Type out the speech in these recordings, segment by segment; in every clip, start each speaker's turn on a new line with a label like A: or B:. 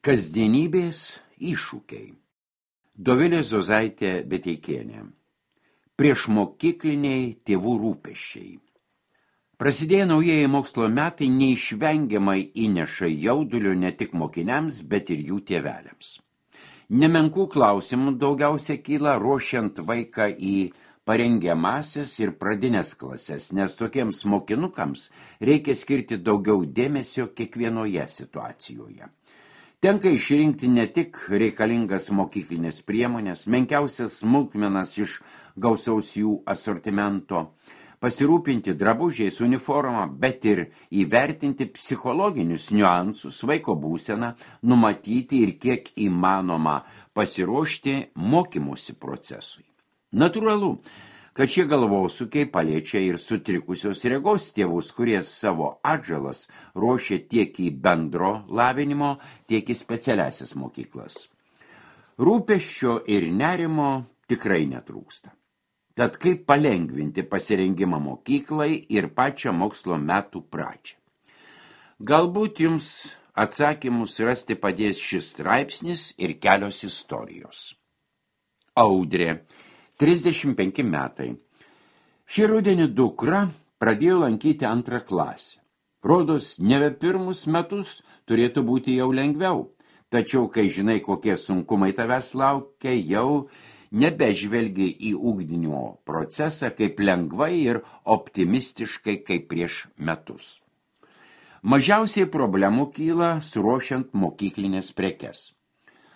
A: Kasdienybės iššūkiai. Dovilė Zozaitė Beteikienė. Priešmokykliniai tėvų rūpesčiai. Prasidėję naujieji mokslo metai neišvengiamai įneša jaudulio ne tik mokiniams, bet ir jų tėveliams. Nemenkų klausimų daugiausia kyla ruošiant vaiką į parengiamąsias ir pradinės klases, nes tokiems mokinukams reikia skirti daugiau dėmesio kiekvienoje situacijoje. Tenka išrinkti ne tik reikalingas mokyklinės priemonės, menkiausias smulkmenas iš gausaus jų asortimento, pasirūpinti drabužiais, uniformą, bet ir įvertinti psichologinius niuansus, vaiko būseną, numatyti ir kiek įmanoma pasiruošti mokymosi procesui. Natūralu, kad šie galvosūkiai paliečia ir sutrikusios regos tėvus, kurie savo atžalas ruošia tiek į bendro lavinimo, tiek į specialiasias mokyklas. Rūpesčio ir nerimo tikrai netrūksta. Tad kaip palengvinti pasirengimą mokyklai ir pačią mokslo metų pradžią? Galbūt jums atsakymus rasti padės šis straipsnis ir kelios istorijos. Audrė. 35 metai. Šį rudenį dukra pradėjo lankyti 2 klasę. Rodos, nebe pirmus metus turėtų būti jau lengviau, tačiau kai žinai, kokie sunkumai tavęs laukia, jau nebežvelgi į ugdymo procesą kaip lengvai ir optimistiškai kaip prieš metus. Mažiausiai problemų kyla suruošiant mokyklinės prekes.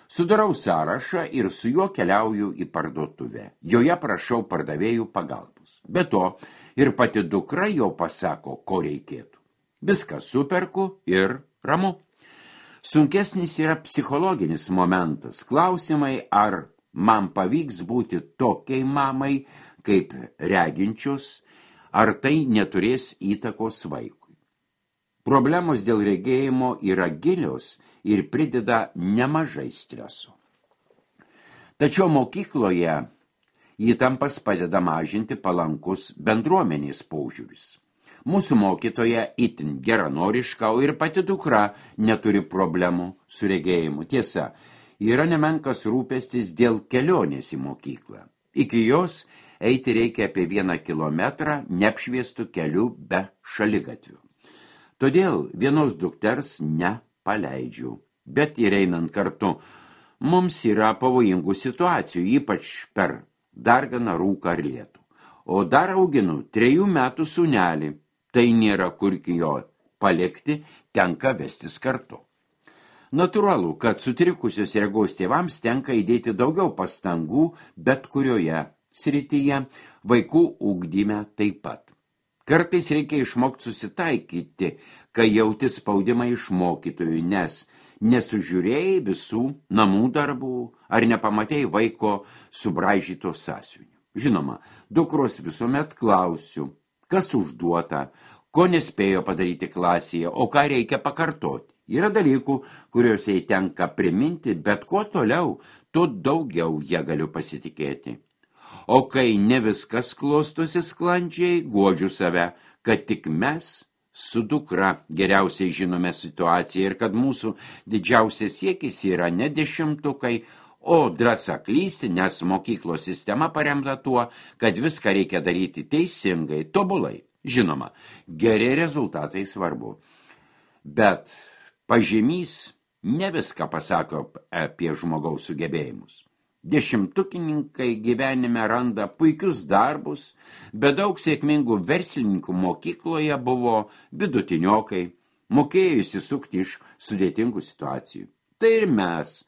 A: Sudarau sąrašą ir su juo keliauju į parduotuvę. Joje prašau pardavėjų pagalbos. Be to, ir pati dukra jau pasako, ko reikėtų. Viską superku ir ramu. Sunkesnis yra psichologinis momentas. Klausimai, ar man pavyks būti tokiai mamai, kaip reginčius, ar tai neturės įtakos vaikui. Problemos dėl regėjimo yra gilios ir prideda nemažai streso. Tačiau mokykloje įtampas padeda mažinti palankus bendruomenės požiūris. Mūsų mokytoja itin geranoriška, o ir pati dukra neturi problemų su regėjimu. Tiesa, yra nemenkas rūpestis dėl kelionės į mokyklą. Iki jos eiti reikia apie 1 kilometrą neapšviestų kelių be šaligatvių. Todėl vienos dukters nepaleidžiu, bet ir einant kartu, mums yra pavojingų situacijų, ypač per darganą, rūką ar lietų. O dar auginu 3 metų sūnelį, tai nėra kur jo palikti, tenka vestis kartu. Natūralu, kad sutrikusios regos tėvams tenka įdėti daugiau pastangų, bet kurioje srityje, vaikų ugdyme taip pat. Kartais reikia išmokti susitaikyti, kai jauti spaudimą iš mokytojų, nes nesužiūrėjai visų namų darbų ar nepamatėjai vaiko subraižyto sąsiuvinio. Žinoma, dukros visuomet klausiu, kas užduota, ko nespėjo padaryti klasėje, o ką reikia pakartoti. Yra dalykų, kuriuos jai tenka priminti, bet kuo toliau, tuo daugiau ją galiu pasitikėti. O kai ne viskas klostosi sklandžiai, guodžiu save, kad tik mes su dukra geriausiai žinome situaciją ir kad mūsų didžiausias siekis yra ne 10-tukai, o drąsa klysti, nes mokyklos sistema paremta tuo, kad viską reikia daryti teisingai, tobulai. Žinoma, geri rezultatai svarbu, bet pažymys ne viską pasako apie žmogaus sugebėjimus. 10-tukininkai gyvenime randa puikius darbus, bet daug sėkmingų verslininkų mokykloje buvo vidutiniokai, mokėjo įsisukti iš sudėtingų situacijų. Tai ir mes.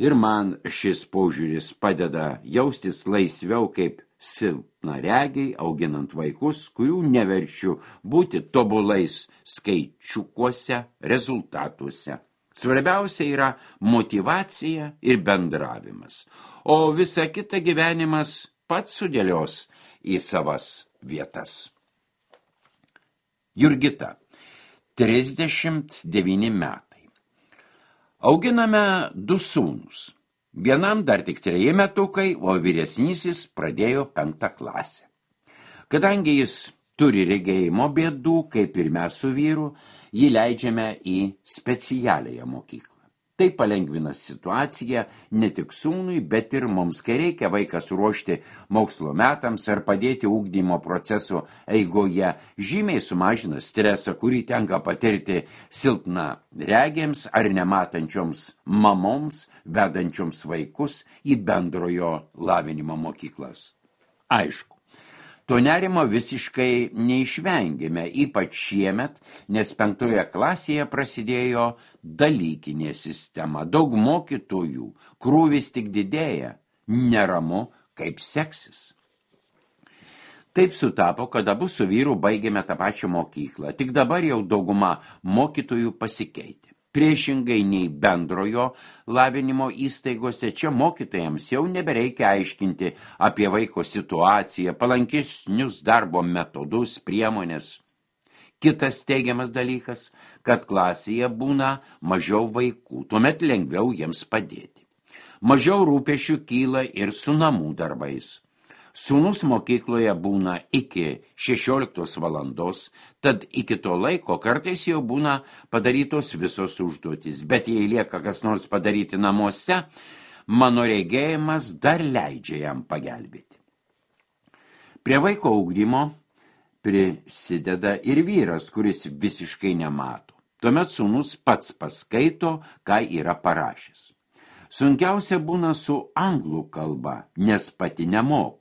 A: Ir man šis požiūris padeda jaustis laisviau kaip silpnaregiai, auginant vaikus, kurių neverčiu būti tobulais skaičiukuose, rezultatuose. Svarbiausia yra motyvacija ir bendravimas, o visa kita gyvenimas pats sudėlios į savas vietas. Jurgita, 39 metai. Auginame 2 sūnus. Vienam dar tik 3 metukai, o vyresnysis pradėjo 5 klasę. Kadangi jis turi regėjimo bėdų, kaip ir mes su vyru, jį leidžiame į specialiąją mokyklą. Tai palengvina situaciją ne tik sūnui, bet ir mums, kai reikia vaiką suruošti mokslo metams ar padėti ugdymo proceso eigoje, žymiai sumažina stresą, kurį tenka patirti silpna regėms ar nematančioms mamoms, vedančioms vaikus į bendrojo lavinimo mokyklas. Aišku, to nerimo visiškai neišvengėme, ypač šiemet, nes 5 klasėje prasidėjo dalykinė sistema. Daug mokytojų, krūvis tik didėja, neramu, kaip seksis. Taip sutapo, kad abu su vyru baigėme tą pačią mokyklą, tik dabar jau dauguma mokytojų pasikeitė. Priešingai nei bendrojo lavinimo įstaigose, čia mokytojams jau nebereikia aiškinti apie vaiko situaciją, palankesnius darbo metodus, priemonės. Kitas teigiamas dalykas, kad klasėje būna mažiau vaikų, tuomet lengviau jiems padėti. Mažiau rūpesčių kyla ir su namų darbais. Sūnus mokykloje būna iki 16 valandos, tad iki to laiko kartais jau būna padarytos visos užduotys, bet jei lieka kas nors padaryti namuose, mano regėjimas dar leidžia jam pagelbėti. Prie vaiko ugdymo prisideda ir vyras, kuris visiškai nemato. Tuomet sūnus pats paskaito, ką yra parašęs. Sunkiausia būna su anglų kalba, nes pati nemoku.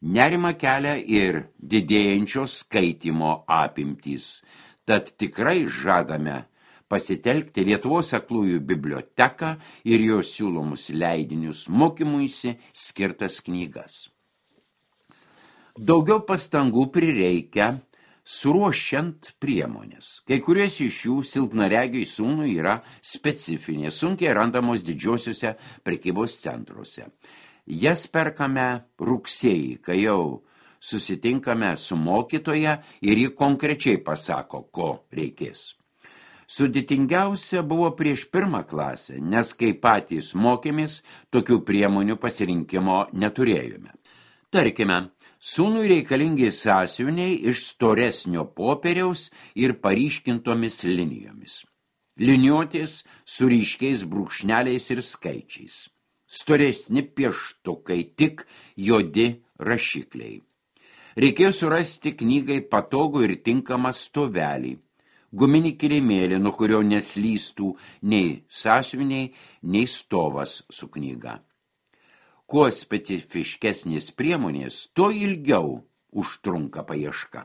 A: Nerima kelia ir didėjančio skaitymo apimtys, tad tikrai žadame pasitelkti Lietuvos aklųjų biblioteką ir jos siūlomus leidinius mokymuisi skirtas knygas. Daugiau pastangų prireikia suruošiant priemonės. Kai kurios iš jų silpnaregiui sūnui yra specifinės, sunkiai randamos didžiosiuose prekybos centruose. Jas perkame rugsėjį, kai jau susitinkame su mokytoja ir ji konkrečiai pasako, ko reikės. Sudėtingiausia buvo prieš 1 klasę, nes kai patys mokėmės, tokių priemonių pasirinkimo neturėjome. Tarkime, sūnui reikalingi sąsiuviniai iš storesnio popieriaus ir paryškintomis linijomis. Liniuotės su ryškiais brūkšneliais ir skaičiais. Storesni pieštukai, tik juodi rašikliai. Reikėjo surasti knygai patogų ir tinkamą stovelį, guminį kilimėlį, nuo kurio neslystų nei sąsiuviniai, nei stovas su knyga. Kuo specifiškesnės priemonės, tuo ilgiau užtrunka paieška.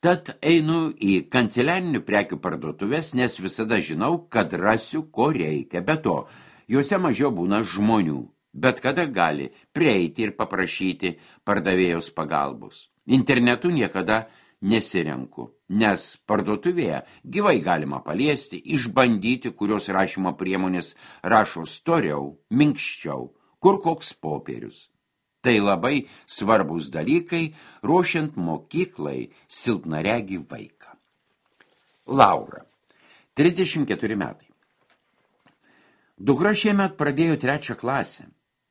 A: Tad einu į kanceliarinių prekių parduotuves, nes visada žinau, kad rasiu, ko reikia. Be to, juose mažiau būna žmonių, bet kada gali prieiti ir paprašyti pardavėjos pagalbos. Internetu niekada nesirenku, nes parduotuvėje gyvai galima paliesti, išbandyti, kurios rašymo priemonės rašo storiau, minkščiau, kur koks popierius. Tai labai svarbus dalykai, ruošiant mokyklai silpnaregį vaiką. Laura, 34 metai. Dukra šiemet pradėjo 3 klasę.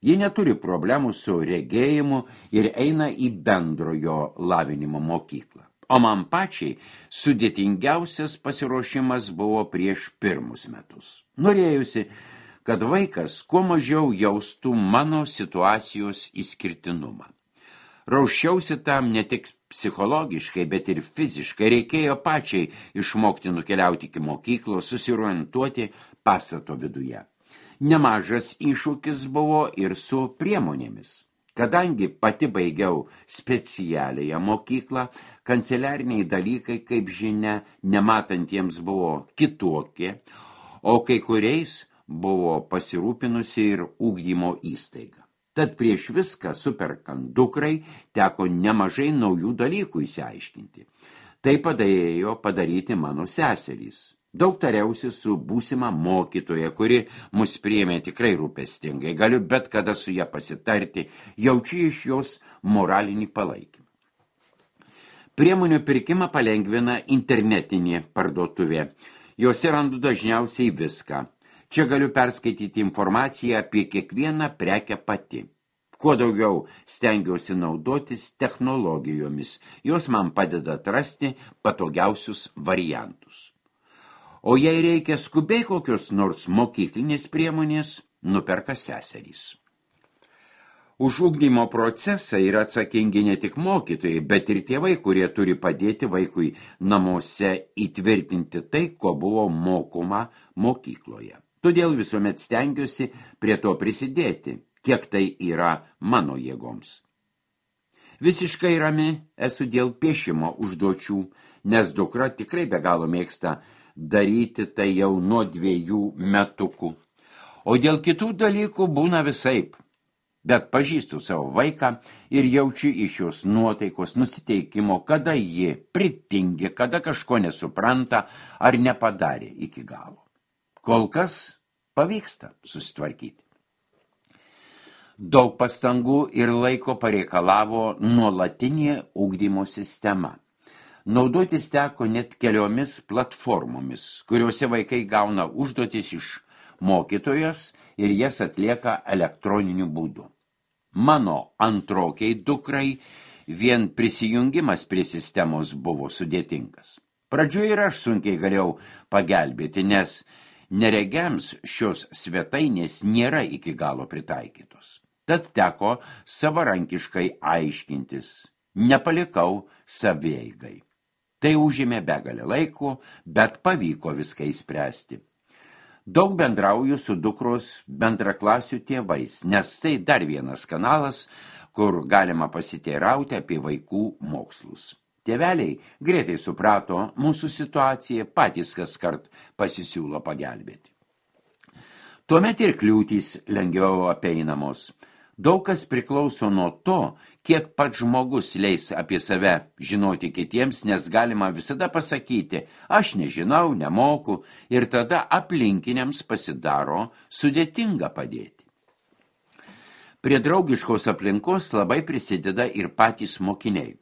A: Ji neturi problemų su regėjimu ir eina į bendrojo lavinimo mokyklą. O man pačiai sudėtingiausias pasiruošimas buvo prieš 1 metus. Norėjusi, kad vaikas kuo mažiau jaustų mano situacijos išskirtinumą. Raušiausi tam ne tik psichologiškai, bet ir fiziškai. Reikėjo pačiai išmokti nukeliauti iki mokyklos, susiorientuoti pastato viduje. Nemažas iššūkis buvo ir su priemonėmis. Kadangi pati baigiau specialiąją mokyklą, kanceliariniai dalykai, kaip žinia, nematantiems buvo kitokie, o kai kuriais buvo pasirūpinusi ir ugdymo įstaiga. Tad prieš viską superkant dukrai teko nemažai naujų dalykų išsiaiškinti. Tai padėjo padaryti mano seserys. Daug tariausi su būsima mokytoja, kuri mus priėmė tikrai rūpestingai. Galiu bet kada su ją pasitarti, jaučiu iš jos moralinį palaikymą. Priemonių pirkimą palengvina internetinė parduotuvė. Jose randu dažniausiai viską. Čia galiu perskaityti informaciją apie kiekvieną prekę pati. Kuo daugiau stengiausi naudotis technologijomis, jos man padeda atrasti patogiausius variantus. o jei reikia skubiai kokios nors mokyklinės priemonės, nuperka seserys. Už ugdymo procesą yra atsakingi ne tik mokytojai, bet ir tėvai, kurie turi padėti vaikui namuose įtvirtinti tai, ko buvo mokoma mokykloje. Todėl visuomet stengiuosi prie to prisidėti, kiek tai yra mano jėgoms. Visiškai rami esu dėl piešimo užduočių, nes dukra tikrai be galo mėgsta daryti tai jau nuo 2 metukų. O dėl kitų dalykų būna visaip. Bet pažįstu savo vaiką ir jaučiu iš jos nuotaikos nusiteikimo, kada ji pritingi, kada kažko nesupranta ar nepadarė iki galo. Kol kas pavyksta susitvarkyti. Daug pastangų ir laiko pareikalavo nuolatinė ugdymo sistema. Naudotis teko net keliomis platformomis, kuriuose vaikai gauna užduotis iš mokytojos ir jas atlieka elektroniniu būdu. Mano antrokiai dukrai vien prisijungimas prie sistemos buvo sudėtingas. Pradžioje ir aš sunkiai galėjau pagelbėti, nes neregiams šios svetainės nėra iki galo pritaikytos. Tad teko savarankiškai aiškintis, nepalikau savieigai. Tai užėmė begalę laiko, bet pavyko viską įspręsti. Daug bendrauju su dukros bendraklasių tėvais, nes tai dar vienas kanalas, kur galima pasiteirauti apie vaikų mokslus. Tėveliai greitai suprato mūsų situaciją, patys kaskart pasisiūlo pagelbėti. Tuomet ir kliūtys lengviau apeinamos. Daug kas priklauso nuo to, kiek pats žmogus leis apie save žinoti kitiems, nes galima visada pasakyti, aš nežinau, nemoku, ir tada aplinkiniams pasidaro sudėtinga padėti. Prie draugiškos aplinkos labai prisideda ir patys mokiniai.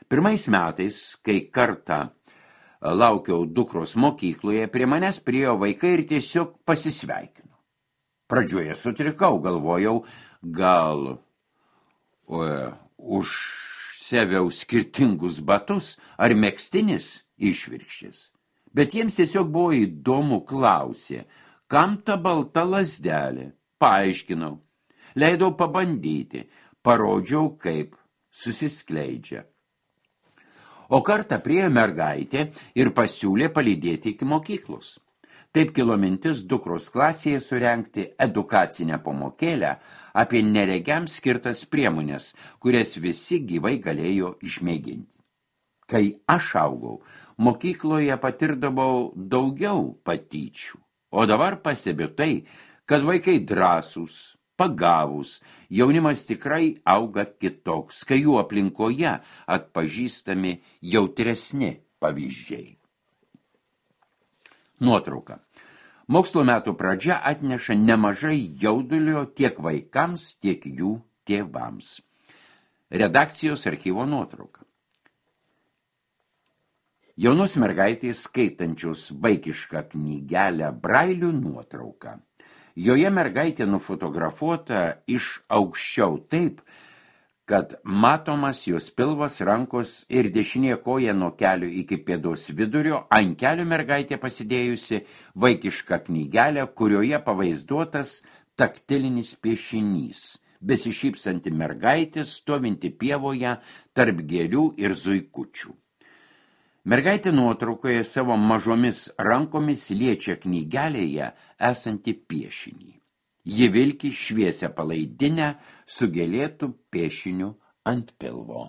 A: Pirmais metais, kai kartą laukiau dukros mokykloje, prie manęs priėjo vaikai ir tiesiog pasisveikino. Pradžioje sutrikau, galvojau, gal užseviau skirtingus batus ar megztinis išvirkščias. Bet jiems tiesiog buvo įdomu, klausė, kam ta balta lazdelė? Paaiškinau, leidau pabandyti, parodžiau, kaip susiskleidžia. O kartą priėjo mergaitė ir pasiūlė palydėti iki mokyklos. Taip kilo mintis dukros klasėje surengti edukacinę pamokėlę apie neregiams skirtas priemonės, kurias visi gyvai galėjo išmėginti. Kai aš augau, mokykloje patirdavau daugiau patyčių, o dabar pastebiu tai, kad vaikai drąsūs, pagavūs, jaunimas tikrai auga kitoks, kai jų aplinkoje atpažįstami jautresni pavyzdžiai. Nuotrauka. Mokslo metų pradžia atneša nemažai jaudulio tiek vaikams, tiek jų tėvams. Redakcijos archyvo nuotrauka. Jaunos mergaitės skaitančios vaikišką knygelę Brailių nuotrauka. Joje mergaitė nufotografuota iš aukščiau taip, kad matomas jos pilvas, rankos ir dešinė koja nuo kelio iki pėdos vidurio, ant kelio mergaitė pasidėjusi vaikišką knygelę, kurioje pavaizduotas taktilinis piešinys, besišypsanti mergaitė stovinti pievoje tarp gėlių ir zuikučių. Mergaitė nuotraukoje savo mažomis rankomis liečia knygelėje esantį piešinį. Ji vilki šviesią palaidinę su gėlėtų piešiniu ant pilvo.